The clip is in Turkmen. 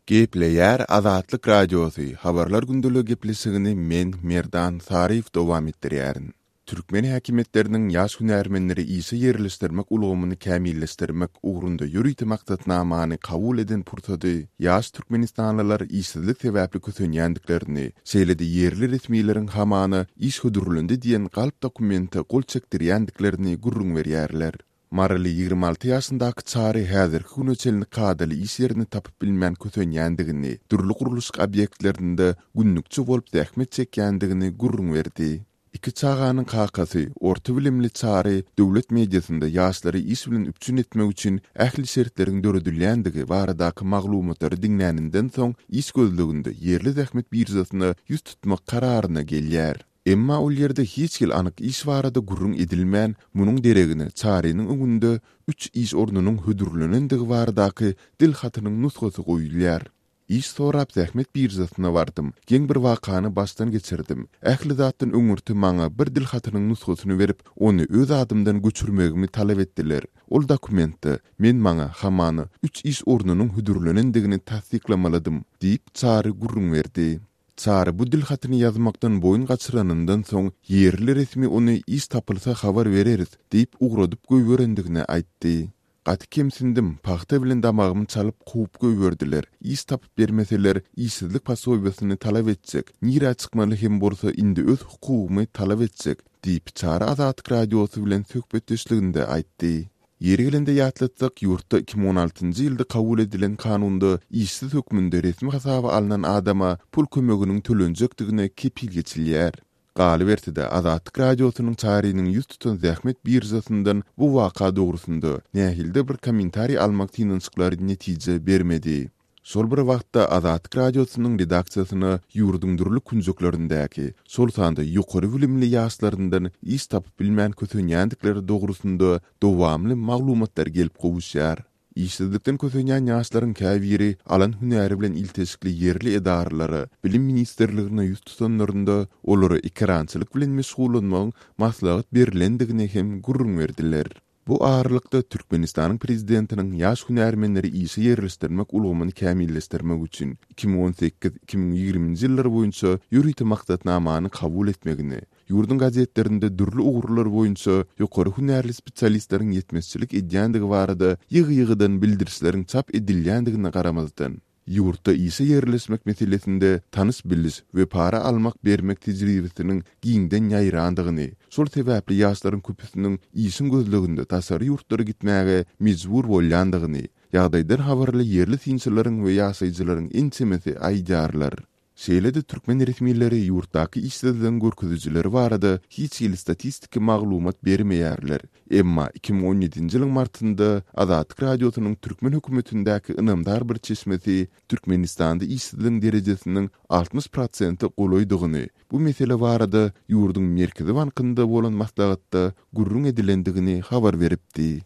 Gepleýär Azatlyk Radiosy, Habarlar gündeligi gepleşigini men, Merdan Saryýew dowam etdirýärin. Türkmen häkimiýetleriniň ýaş hünärmenleri işe ýerleşdirmek ulgamyny kämilleşdirmek ugrunda ýörite maksatnamany kabul eden pursady ýaş türkmenistanlylar işsizlik sebäpli kösenýändiklerini, şeýle-de ýerli resmileriň hamana iş hödürlendi diýen galp dokumente gol çekdirýändiklerini gürrüň berýärler. Maryly 26 ýaşyndaky Çary häzirki güne çenli kadaly iş ýerini tapyp bilmän kösenýändigini, dürli gurluşyk obýektlerinde günlükçi bolup zähmet çekýändigini gürrüň berdi. Iki çaganyň kakasy, orta bilimli Çary döwlet mediasynda ýaşlary iş bilen üpjün etmek üçin ähli şertleriň döredilýändigi baradaky maglumatlary diňläninden soň iş gözleginde ýerli zähmet biržasyna ýüz tutmak kararyna gelýär. Emma ol ýerde hiç hili anyk iş barada gürrüň edilmän, munuň deregine Çarynyň öňünde üç iş ornunyň hödürlenendigi baradaky dil hatynyň nusgasy goýulýar. Iş sorap zähmet biržasyna bardym. Geň bir wakany başdan geçirdim. Ähli zatdan öňürti maňa bir dil hatynyň nusgasyny berip, ony öz adymdan göçürmegimi talap etdiler. Ol dokumentde men maňa, hamana, üç iş ornunyň hödürlenendigini tassyklamalydym, diýip, Çary gürrüň berdi. Çary bu dil hatyny ýazmakdan boýun gaçyranyndan soň, ýerli resmi ony iş tapylsa habar bereris diýip ugradyp goýberendigini aýtdy. Gaty kemsindim, pagta bilen damagymy çalyp kowup goýberdiler. Iş tapyp bermeseler, işsizlik posobiýasyny talap etjek, nirä çykmaly hem bolsa indi öz hukugymy talap etjek, diýip, Çary Azatlyk Radiosy bilen söhbetdeşliginde aýtdy. Ýeri gelende ýatlatsak, ýurtda 2016-njy ýylda kabul edilen kanunda işsiz hökmünde resmi hasaba alnan adama pul kömeginiň tölenjekdigine kepil geçilýär. Galyberse-de, Azatlyk Radiosynyň Çarynyň ýüz tutan zähmet biržasyndan bu waka dogrusynda nähilidir bir kommentariý almak synanyşyklary netije bermedi. Şol bir wagtda, Azatlyk Radiosynyň redaksiýasyna ýurduň dürli künjeklerindäki, şol sanda ýokary bilimli ýaşlaryndan iş tapyp bilmän kösenýändikleri dogrusynda dowamly maglumatlar gelip gowuşýar. Işsizlikden kösenýän ýaşlaryň käbiri alan hünäri bilen ilteşikli ýerli edaralara, Bilim ministrligine ýüz tutanlarynda, olara ekerançylyk bilen meşgullanmagyň maslahat berlendigini hem gürrüň berdiler. Bu aralykda, Türkmenistanyň Prezidentiniň ýaş hünärmenleri işe ýerleşdirmek ulgamyny kämilleşdirmek üçin 2018, 2020-nji ýyllar boýunça ýörite maksatnamany kabul etmegini, Ýurduň gazetlerinde dürli ugurlar boýunça ýokary hünärli spesialistleriň ýetmezçilik edýändigi barada ýygy-ýygydan bildirişleriň çap edilýändigine garamazdan, ýurtda işe ýerleşmek meselesinde tanyş-biliş we para almak-bermek tejribesiniň giňden ýaýrandygyny, şol sebäpli ýaşlaryň köpüsiniň işiň gözleginde daşary ýurtlara gitmäge mejbur bolýandygyny, ýagdaýdan habarly ýerli synçylaryň we ýaşaýjylaryň ençemesi aýdýarlar. Şeýle-de türkmen resmileri ýurtdaky işsizligiň görkezijileri barada hiç hili statistiki maglumat bermeýärler. Emma 2017-nji ýylyň martynda Azatlyk Radiosynyň türkmen hökümetindäki ynamdar bir çeşmesi Türkmenistanda işsizligiň derejesiniň 60 prosente golaýdygyny, bu mesele barada ýurduň Merkezi bankynda bolan maslahatda gürrüň edilendigini habar beripdi.